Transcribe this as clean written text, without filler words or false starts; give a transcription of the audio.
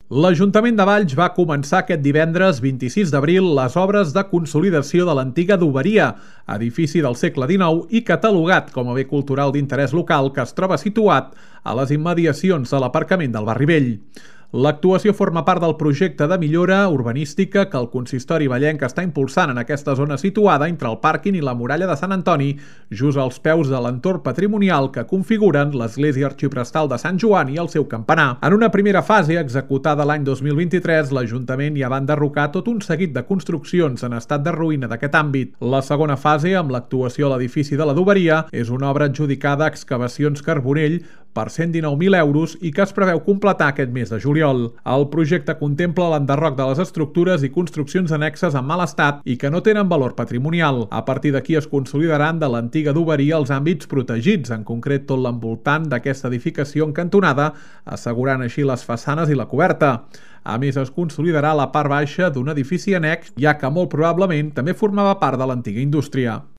L'Ajuntament de Valls va començar aquest divendres 26 d'abril les obres de consolidació de l'antiga adoberia, edifici del segle XIX i catalogat com a bé cultural d'interès local que es troba situat a les immediacions de l'aparcament del Barri Vell. L'actuació forma part del projecte de millora urbanística que el consistori vallenc està impulsant en aquesta zona situada entre el pàrquing i la muralla de Sant Antoni, just als peus de l'entorn patrimonial que configuren l'església arxiprestal de Sant Joan i el seu campanar. En una primera fase, executada l'any 2023, l'Ajuntament ja va enderrocar tot un seguit de construccions en estat de ruïna d'aquest àmbit. La segona fase, amb l'actuació a l'edifici de l'adoberia, és una obra adjudicada a Excavacions Carbonell per 119.000 euros i que es preveu completar aquest mes de juliol. El projecte contempla l'enderroc de les estructures i construccions annexes en mal estat i que no tenen valor patrimonial. A partir d'aquí es consolidaran de l'antiga adoberia els àmbits protegits, en concret tot l'envoltant d'aquesta edificació en cantonada, assegurant així les façanes i la coberta. A més, es consolidarà la part baixa d'un edifici annex, ja que molt probablement també formava part de l'antiga indústria.